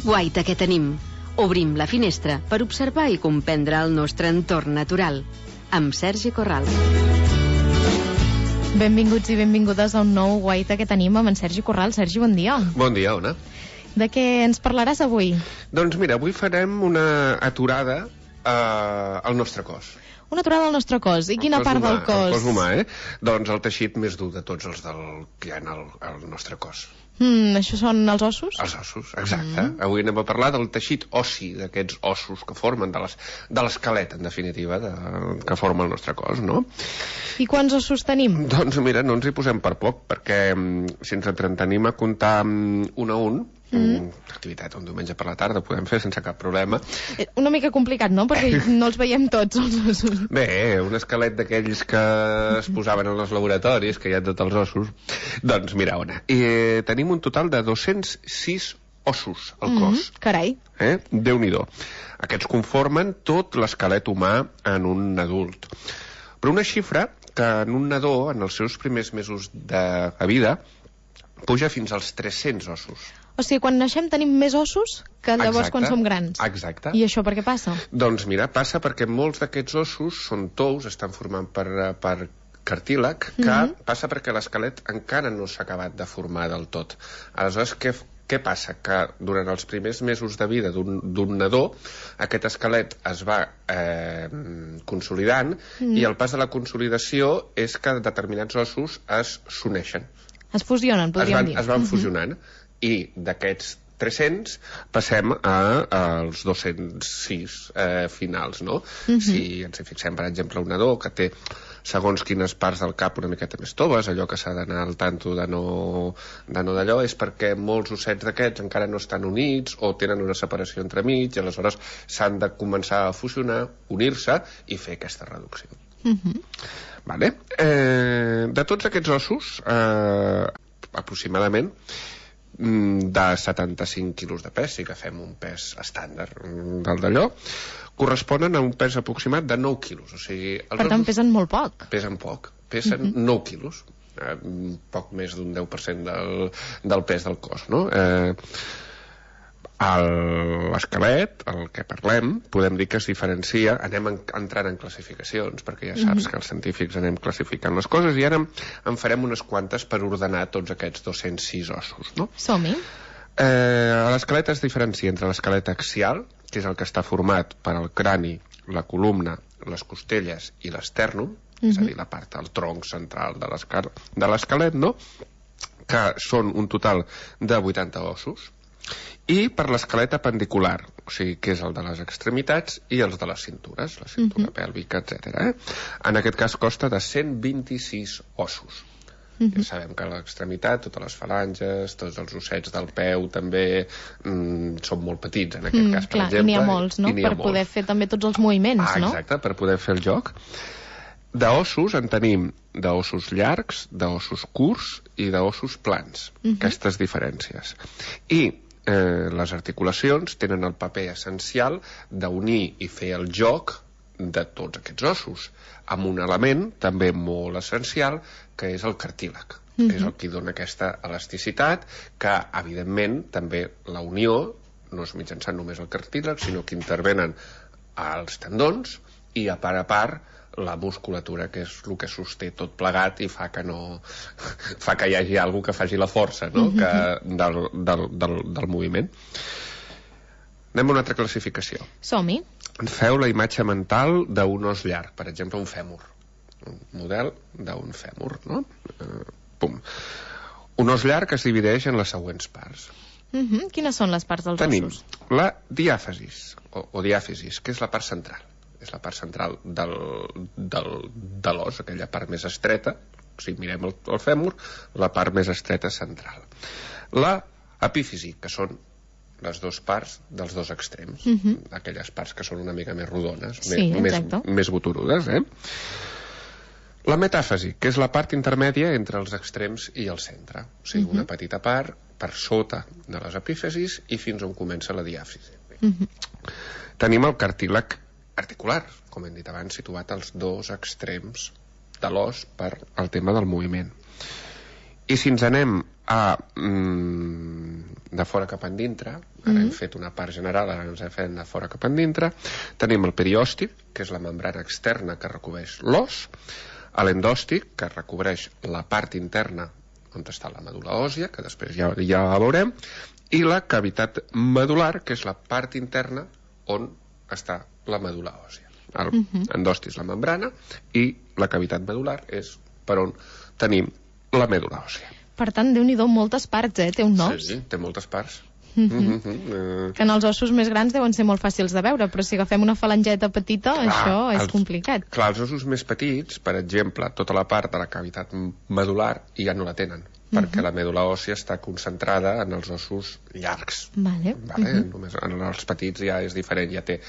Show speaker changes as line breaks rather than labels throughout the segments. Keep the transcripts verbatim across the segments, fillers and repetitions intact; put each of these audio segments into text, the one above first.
Guaita que tenim. Obrim la finestra per observar i comprendre el nostre entorn natural. Amb Sergi Corral.
Benvinguts i benvingudes a un nou Guaita que tenim amb en Sergi Corral. Sergi, bon dia.
Bon dia, Ona.
De què ens parlaràs avui?
Doncs mira, avui farem una aturada eh, al nostre cos.
Una aturada al nostre cos. I quina part del cos?
El cos humà, eh? Doncs el teixit més dur de tots els del, que hi ha al, al nostre cos.
Mm, això són els ossos?
Els ossos, exacte. Mm. Avui anem a parlar del teixit ossi, d'aquests ossos que formen, de les, de l'esquelet, en definitiva, de, que forma el nostre cos, no?
I quants ossos tenim? Doncs
mira, no ens hi posem per poc, perquè si ens entretenim a comptar un a un, Mm. activitat un diumenge per la tarda podem fer sense cap problema.
Una mica complicat, no? Perquè no els veiem tots, els ossos.
Bé, un esquelet d'aquells que es posaven en els laboratoris, que hi ha tots els ossos. Doncs mira, Ona, eh, tenim un total de dos-cents sis ossos al cos.
Mm, carai.
Eh? Déu-n'hi-do. Aquests conformen tot l'esquelet humà en un adult. Però una xifra que en un nadó, en els seus primers mesos de vida, puja fins als tres-cents ossos.
O sigui, quan naixem tenim més ossos que llavors
exacte,
quan som grans.
Exacte.
I això per què passa?
Doncs mira, passa perquè molts d'aquests ossos són tous, estan formant per, per cartílag, que mm-hmm. passa perquè l'esquelet encara no s'ha acabat de formar del tot. Aleshores, què, què passa? Que durant els primers mesos de vida d'un nadó, aquest esquelet es va eh, consolidant mm. i el pas de la consolidació és que determinats ossos es s'uneixen.
Es fusionen, podríem
es van,
dir.
Es van
mm-hmm.
fusionant. I d'aquests tres-cents passem a, als dos-cents sis eh, finals, no? Uh-huh. Si ens hi fixem, per exemple, un nadó que té segons quines parts del cap una miqueta més toves, allò que s'ha d'anar al tanto de no, de no d'allò, és perquè molts ossets d'aquests encara no estan units o tenen una separació entremig, i aleshores s'han de començar a fusionar, unir-se i fer aquesta reducció. Uh-huh. Vale? Eh, de tots aquests ossos, eh, aproximadament, de setanta-cinc quilos de pes, si agafem un pes estàndard del d'allò, corresponen a un pes aproximat de nou quilos. O sigui, els
per tant, pesen molt poc.
Pesen poc, pesen uh-huh. nou quilos, eh, poc més d'un deu per cent del, del pes del cos, no? Eh, l'esquelet, el que parlem, podem dir que es diferencia, anem en, entrant en classificacions, perquè ja saps mm-hmm. que els científics anem classificant les coses, i ara en, en farem unes quantes per ordenar tots aquests dos-cents sis ossos, no?
Som-hi.
Eh, l'esquelet es diferencia entre l'esquelet axial, que és el que està format per al crani, la columna, les costelles i l'esternum, mm-hmm. és a dir, la part del tronc central de l'esquelet, no? Que són un total de vuitanta ossos, i per l'esquelet apendicular, o sigui, que és el de les extremitats i els de les cintures, la cintura uh-huh. pèlvica, etcètera. Eh? En aquest cas costa de cent vint-i-sis ossos. Uh-huh. Ja sabem que a l'extremitat, totes les falanges, tots els ossets del peu també mm, són molt petits, en aquest mm, cas, per
clar,
exemple.
I n'hi ha molts, no? Per molts. Poder fer també tots els moviments,
ah,
no?
Exacte, per poder fer el joc. D'ossos en tenim d'ossos llargs, d'ossos curts i d'ossos plans, uh-huh. aquestes diferències. I Eh, les articulacions tenen el paper essencial d'unir i fer el joc de tots aquests ossos, amb un element també molt essencial, que és el cartílag. Mm-hmm. És el que dona aquesta elasticitat, que, evidentment, també la unió no és mitjançant només el cartílag, sinó que intervenen els tendons i, a part a part, la musculatura, que és el que sosté tot plegat i fa que no fa que hi hagi algú que faci la força, no? que, del, del, del, del moviment. Anem a una altra classificació.
Som-hi.
Feu la imatge mental d'un os llarg, per exemple un fèmur, un model d'un fèmur, no? Uh, pum. Un os llarg es divideix en les següents parts.
Uh-huh. Quines són les parts dels
Tenim
ossos?
Tenim la diàfasis o, o diàfisis, que és la part central. És la part central del, del, de l'os, aquella part més estreta. Si mirem el, el fèmur, la part més estreta central. La epífisi, que són les dues parts dels dos extrems, uh-huh. aquelles parts que són una mica més rodones,
sí,
més, més boturudes, eh? La metàfasi, que és la part intermèdia entre els extrems i el centre. O sigui, uh-huh. una petita part per sota de les epífisis i fins on comença la diàfisi. Uh-huh. Tenim el cartílag articular, com hem dit abans, situat als dos extrems de l'os per al tema del moviment. I si ens anem a mm, de fora cap endintre, ara mm. hem fet una part general, ara ens fem de fora cap endintre. Tenim el periòstic, que és la membrana externa que recobreix l'os, l'endòstic, que recobreix la part interna on està la medul·la òssia, que després ja, ja la veurem, i la cavitat medular, que és la part interna on està la medul·la òssia. El uh -huh. endòstic és la membrana i la cavitat medular és per on tenim la medul·la òssia.
Per tant, Déu-n'hi-do, moltes parts, eh? Té un os.
Sí, sí, té moltes parts.
Uh -huh. Uh -huh. Que en els ossos més grans deuen ser molt fàcils de veure, però si agafem una falangeta petita, clar, això és
els,
complicat.
Clar, els ossos més petits, per exemple, tota la part de la cavitat medular ja no la tenen, perquè uh -huh. la medul·la òssia està concentrada en els ossos llargs.
Vale.
Vale?
Uh -huh.
Només en els petits ja és diferent, ja té,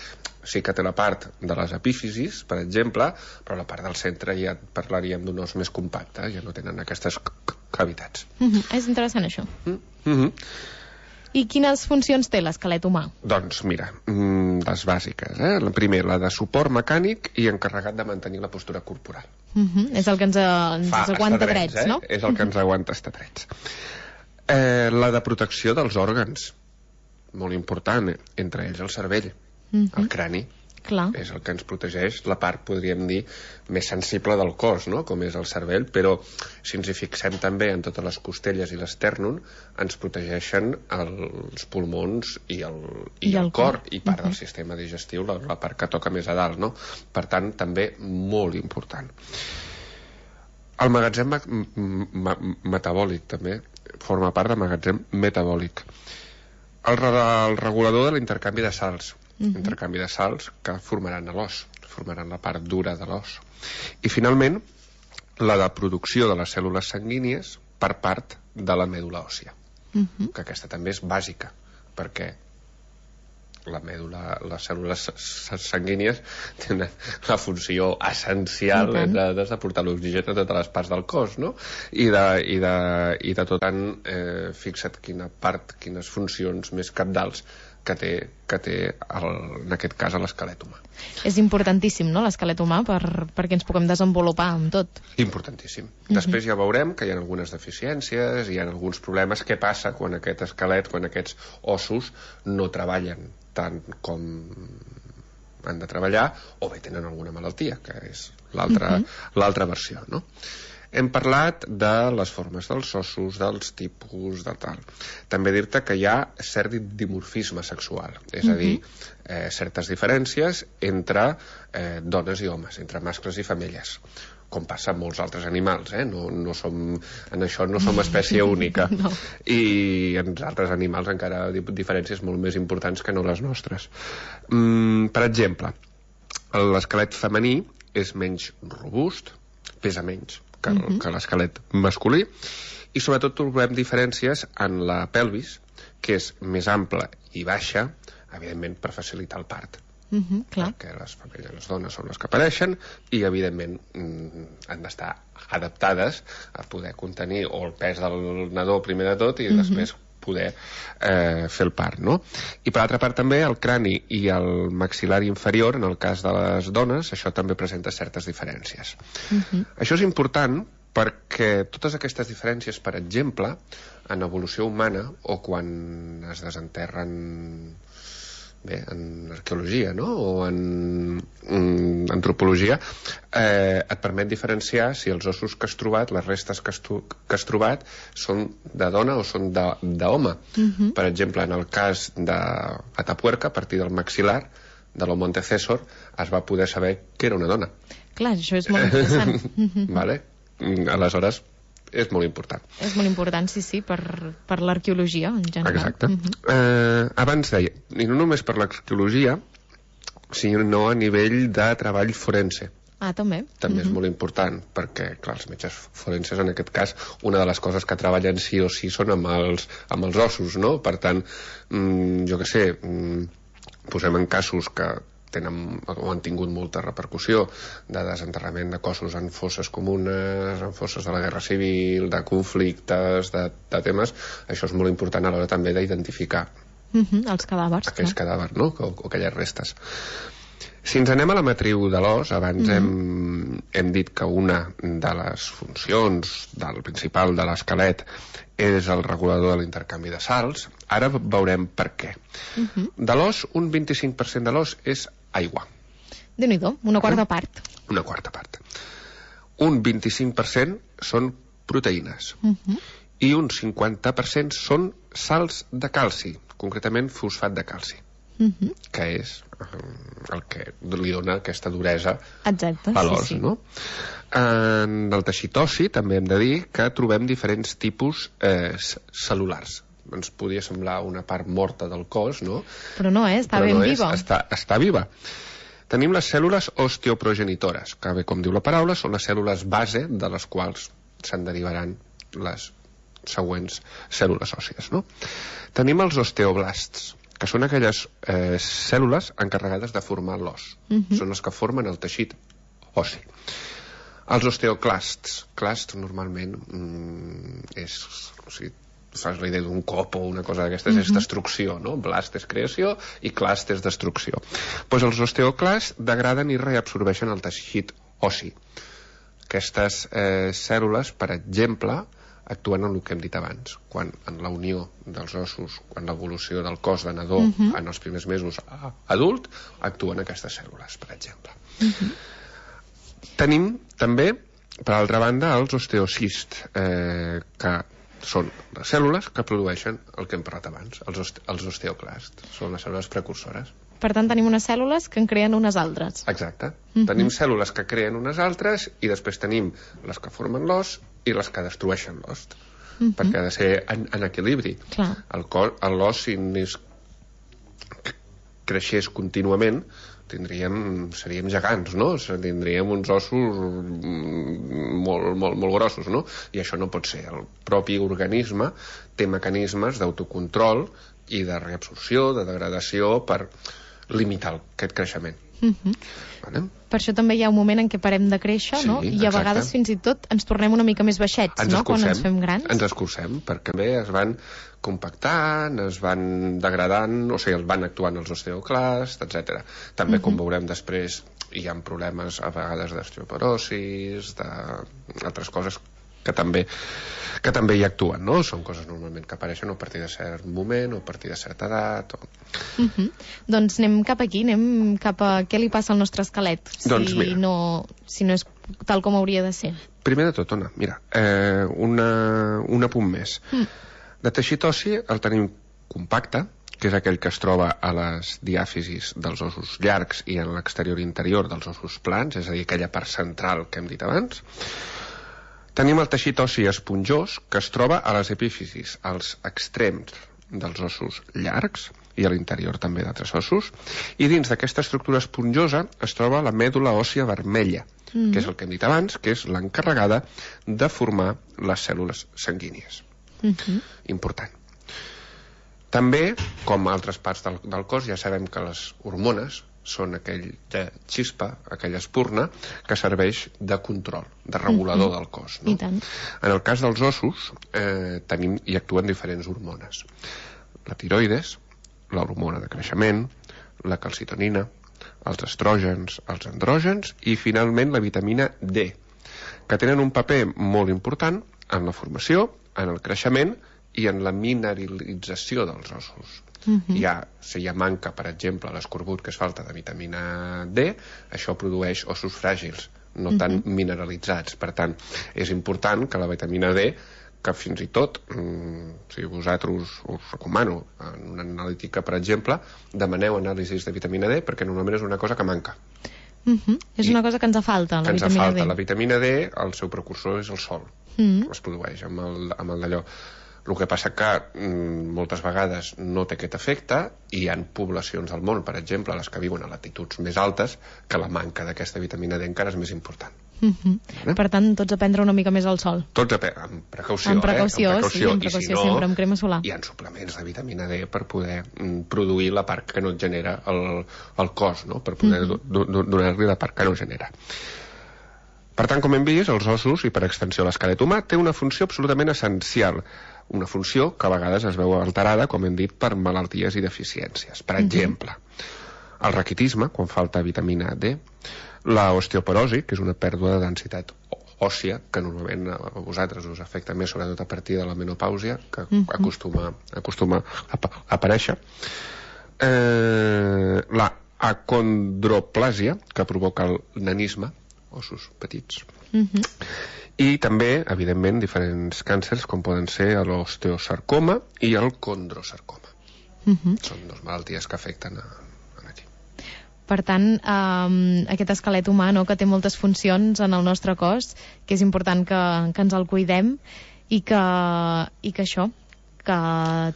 sí que té la part de les epífisis, per exemple, però la part del centre ja parlaríem d'un os més compacte, ja no tenen aquestes cavitats.
Uh -huh. És interessant això.
Uh -huh.
I quines funcions té l'esquelet humà?
Doncs mira, les bàsiques, eh? La primera, la de suport mecànic i encarregat de mantenir la postura corporal.
Uh -huh. És el que ens, ens
Fa,
aguanta
drets,
drets,
eh?
no?
És el que ens aguanta estar drets. Eh, la de protecció dels òrgans, molt important, eh? Entre ells el cervell, uh -huh. el crani.
Clar.
És el que ens protegeix la part, podríem dir, més sensible del cos, no? Com és el cervell, però si ens hi fixem també en totes les costelles i l'estèrnon, ens protegeixen els pulmons i el, i
I
el,
el
cor,
cor.
i part
uh-huh.
del sistema digestiu, la, la part que toca més a dalt, no? Per tant, també molt important. El magatzem metabòlic, també, forma part del magatzem metabòlic. El, el regulador de l'intercanvi de sals, Uh -huh. intercanvi de sals que formaran l'os, formaran la part dura de l'os. I finalment, la de producció de les cèl·lules sanguínies per part de la medul·la òssia, uh -huh. que aquesta també és bàsica, perquè la medul·la, les cèl·lules sanguínies tenen la funció essencial de, de portar l'oxigen a totes les parts del cos, no? I de, i de, i de tot tant, eh, fixa't quina part, quines funcions més cabdals que té, que té el, en aquest cas l'esquelet humà.
És importantíssim, no?, l'esquelet humà per, perquè ens puguem desenvolupar amb tot.
Importantíssim. Uh-huh. Després ja veurem que hi ha algunes deficiències, hi ha alguns problemes. Què passa quan aquest esquelet, quan aquests ossos no treballen tant com han de treballar, o bé tenen alguna malaltia, que és l'altra uh-huh. l'altra versió, no? Hem parlat de les formes dels ossos, dels tipus, de tal. També dir-te que hi ha cert dimorfisme sexual, és uh-huh. a dir, eh, certes diferències entre eh, dones i homes, entre mascles i femelles, com passa amb molts altres animals, eh? No, no som, en això no som espècie única.
No.
I en altres animals encara diferències molt més importants que no les nostres. Mm, per exemple, l'esquelet femení és menys robust, pesa menys que, uh-huh. que l'esquelet masculí, i sobretot trobem diferències en la pelvis, que és més ampla i baixa, evidentment per facilitar el part.
Uh-huh, clar.
Perquè les femelles, les dones són les que apareixen i evidentment han d'estar adaptades a poder contenir o el pes del nadó primer de tot i uh-huh. després poder eh, fer el part, no? I per altra part també el crani i el maxil·lar inferior, en el cas de les dones, això també presenta certes diferències. Uh-huh. Això és important perquè totes aquestes diferències, per exemple, en evolució humana o quan es desenterren bé, en arqueologia, no? O en, en antropologia, eh, et permet diferenciar si els ossos que has trobat, les restes que has, que has trobat, són de dona o són d'home. Uh-huh. Per exemple, en el cas de Atapuerca, a partir del maxil·lar, de l'Homo antecessor, es va poder saber que era una dona.
Clar, això és molt interessant.
Vale? Aleshores, és molt important.
És molt important, sí, sí, per, per l'arqueologia en general.
Exacte. Uh-huh. eh, abans deia, i no només per l'arqueologia, sinó a nivell de treball forense.
Ah, també.
També
uh-huh.
és molt important, perquè, clar, els metges forenses, en aquest cas, una de les coses que treballen sí o sí són amb els, amb els ossos, no? Per tant, mm, jo què sé, mm, posem en casos que tenen o han tingut molta repercussió de desenterrament de cossos en fosses comunes, en fosses de la guerra civil, de conflictes, de, de temes, això és molt important a l'hora també d'identificar
uh-huh, els cadàvers.
aquells clar. cadàvers, no? O, o aquelles restes. Si ens anem a la matriu de l'os, abans mm-hmm. hem, hem dit que una de les funcions del principal de l'esquelet és el regulador de l'intercanvi de sals. Ara veurem per què. Mm-hmm. De l'os, un vint-i-cinc per cent de l'os és aigua.
Déu-n'hi-do, una quarta part.
Una quarta part. Un vint-i-cinc per cent són proteïnes. Mm-hmm. I un cinquanta per cent són sals de calci, concretament fosfat de calci. Mm-hmm. Que és el que li dona aquesta duresa
Exacte,
a l'os,
sí, sí.
no? En el teixit ossi també hem de dir que trobem diferents tipus eh, cel·lulars. Ens podria semblar una part morta del cos, no?
Però no, eh? Està
Però
ben
no
viva.
És, està, està viva. Tenim les cèl·lules osteoprogenitores, que bé com diu la paraula, són les cèl·lules base de les quals se'n derivaran les següents cèl·lules òssies, no? Tenim els osteoblasts, que són aquelles eh, cèl·lules encarregades de formar l'os. Mm-hmm. Són les que formen el teixit ossi. Els osteoclasts. Clasts normalment mm, és... O sigui, fas la idea d'un cop o una cosa d'aquestes, mm-hmm. és destrucció, no? Blast és creació i clast és destrucció. Pues els osteoclasts degraden i reabsorbeixen el teixit ossi. Aquestes eh, cèl·lules, per exemple, actuen en el que hem dit abans, quan en la unió dels ossos, quan l'evolució del cos de nadó uh-huh. en els primers mesos adult, actuen aquestes cèl·lules, per exemple. Uh-huh. Tenim també, per altra banda, els osteocists, eh, que són les cèl·lules que produeixen el que hem parlat abans, els, oste els osteoclasts, són les cèl·lules precursores.
Per tant, tenim unes cèl·lules que en creen unes altres.
Exacte. Uh-huh. Tenim cèl·lules que creen unes altres i després tenim les que formen l'os i les que destrueixen l'os. Uh-huh. Perquè ha de ser en, en equilibri.
Clar.
El l'os, si anés, creixés contínuament, tindríem, seríem gegants, no? Tindríem uns ossos molt, molt, molt grossos, no? I això no pot ser. El propi organisme té mecanismes d'autocontrol i de reabsorció, de degradació, per limitar aquest creixement. Uh-huh. Vale?
Per això també hi ha un moment en què parem de créixer,
sí,
no? I a
exacte.
Vegades fins i tot ens tornem una mica més baixets,
ens
no?
Escurcem,
quan ens fem grans.
Ens escurcem, perquè bé es van compactant, es van degradant, o sigui, els van actuant els osteoclasts, etcètera. També, uh-huh. com veurem després, hi ha problemes a vegades d'osteoporosis, d'altres coses que també, que també hi actuen, no? Són coses normalment que apareixen a partir de cert moment o a partir de certa edat. O...
Uh-huh. Doncs anem cap aquí, anem cap a què li passa al nostre esquelet, si,
doncs mira,
no, si no és tal com hauria de ser.
Primer de tot, Ona, mira, eh, una, un apunt més. Mm. De teixit ossi el tenim compacte, que és aquell que es troba a les diàfisis dels ossos llargs i en l'exterior interior dels ossos plans, és a dir, aquella part central que hem dit abans. Tenim el teixit ossi esponjós, que es troba a les epífisis, als extrems dels ossos llargs i a l'interior també d'altres ossos, i dins d'aquesta estructura esponjosa es troba la mèdula òssia vermella, mm. que és el que hem dit abans, que és l'encarregada de formar les cèl·lules sanguínies. Mm-hmm. Important. També, com a altres parts del, del cos, ja sabem que les hormones són aquella xispa, aquella espurna que serveix de control, de regulador mm-hmm. del cos, no?
I tant.
En el cas dels ossos eh, tenim i actuen diferents hormones. La tiroides, l'hormona de creixement, la calcitonina, els estrògens, els andrògens i finalment la vitamina D, que tenen un paper molt important en la formació, en el creixement i en la mineralització dels ossos. Uh-huh. Hi ha, si hi ha manca, per exemple, l'escorbut, que és falta de vitamina D, això produeix ossos fràgils, no uh-huh. tan mineralitzats. Per tant, és important que la vitamina D, que fins i tot, mm, si vosaltres us recomano, en una analítica, per exemple, demaneu anàlisis de vitamina D, perquè normalment és una cosa que manca.
Uh-huh. És I una cosa que ens falta, la
ens
vitamina
falta.
D.
La vitamina D, el seu precursor és el sol. Uh-huh. Es produeix amb el, amb el d'allò. El que passa que mm, moltes vegades no té aquest efecte i hi ha poblacions del món, per exemple, les que viuen a latituds més altes, que la manca d'aquesta vitamina D encara és més important.
Uh-huh. Eh? Per tant, tots a prendre una mica més al sol.
Tots a pe- amb precaució,
amb precaució,
eh? Amb precaució,
sí, amb precaució,
I si no,
sempre, amb crema solar.
hi ha suplements de vitamina D per poder mm, produir la part que no et genera el, el cos, no? Per poder uh-huh. do, do, donar-li la part que no genera. Per tant, com hem vist, els ossos, i per extensió l'esquelet humà, té una funció absolutament essencial. Una funció que a vegades es veu alterada, com hem dit, per malalties i deficiències. Per exemple, el raquitisme, quan falta vitamina D, la osteoporosi, que és una pèrdua de densitat òssia, que normalment a vosaltres us afecta més, sobretot a partir de la menopàusia, que uh-huh. acostuma, acostuma a, a aparèixer. Eh, la acondroplàsia, que provoca el nanisme, ossos petits. Uh-huh. I també, evidentment, diferents càncers, com poden ser l'osteosarcoma i el condrosarcoma. Uh-huh. Són dues malalties que afecten a, a aquí.
Per tant, eh, aquest esquelet humà, no?, que té moltes funcions en el nostre cos, que és important que, que ens el cuidem i que, i que això, que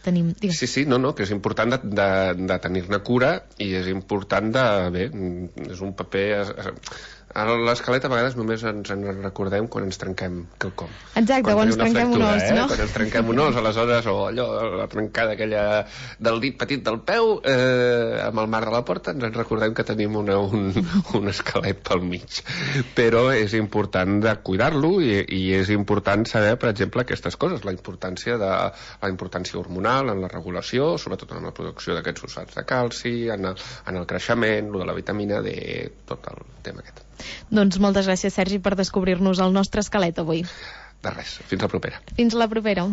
tenim... Digues.
Sí, sí, no, no, que és important de, de, de tenir-ne cura i és important de... Bé, és un paper... A l'esquelet a vegades només ens en recordem quan ens trenquem quelcom.
Exacte, quan, quan ens trenquem fractura, un os,
eh?
no?
Quan ens trenquem un os, aleshores, o allò, la trencada aquella del dit petit del peu, eh, amb el marc de la porta, ens en recordem que tenim una, un, un esquelet pel mig. Però és important de cuidar-lo i, i és important saber, per exemple, aquestes coses, la importància, de, la importància hormonal en la regulació, sobretot en la producció d'aquests fosfats de calci, en el, en el creixement, lo de la vitamina D, tot el tema aquest.
Doncs moltes gràcies, Sergi, per descobrir-nos el nostre esquelet avui.
De res, fins la propera.
Fins la propera.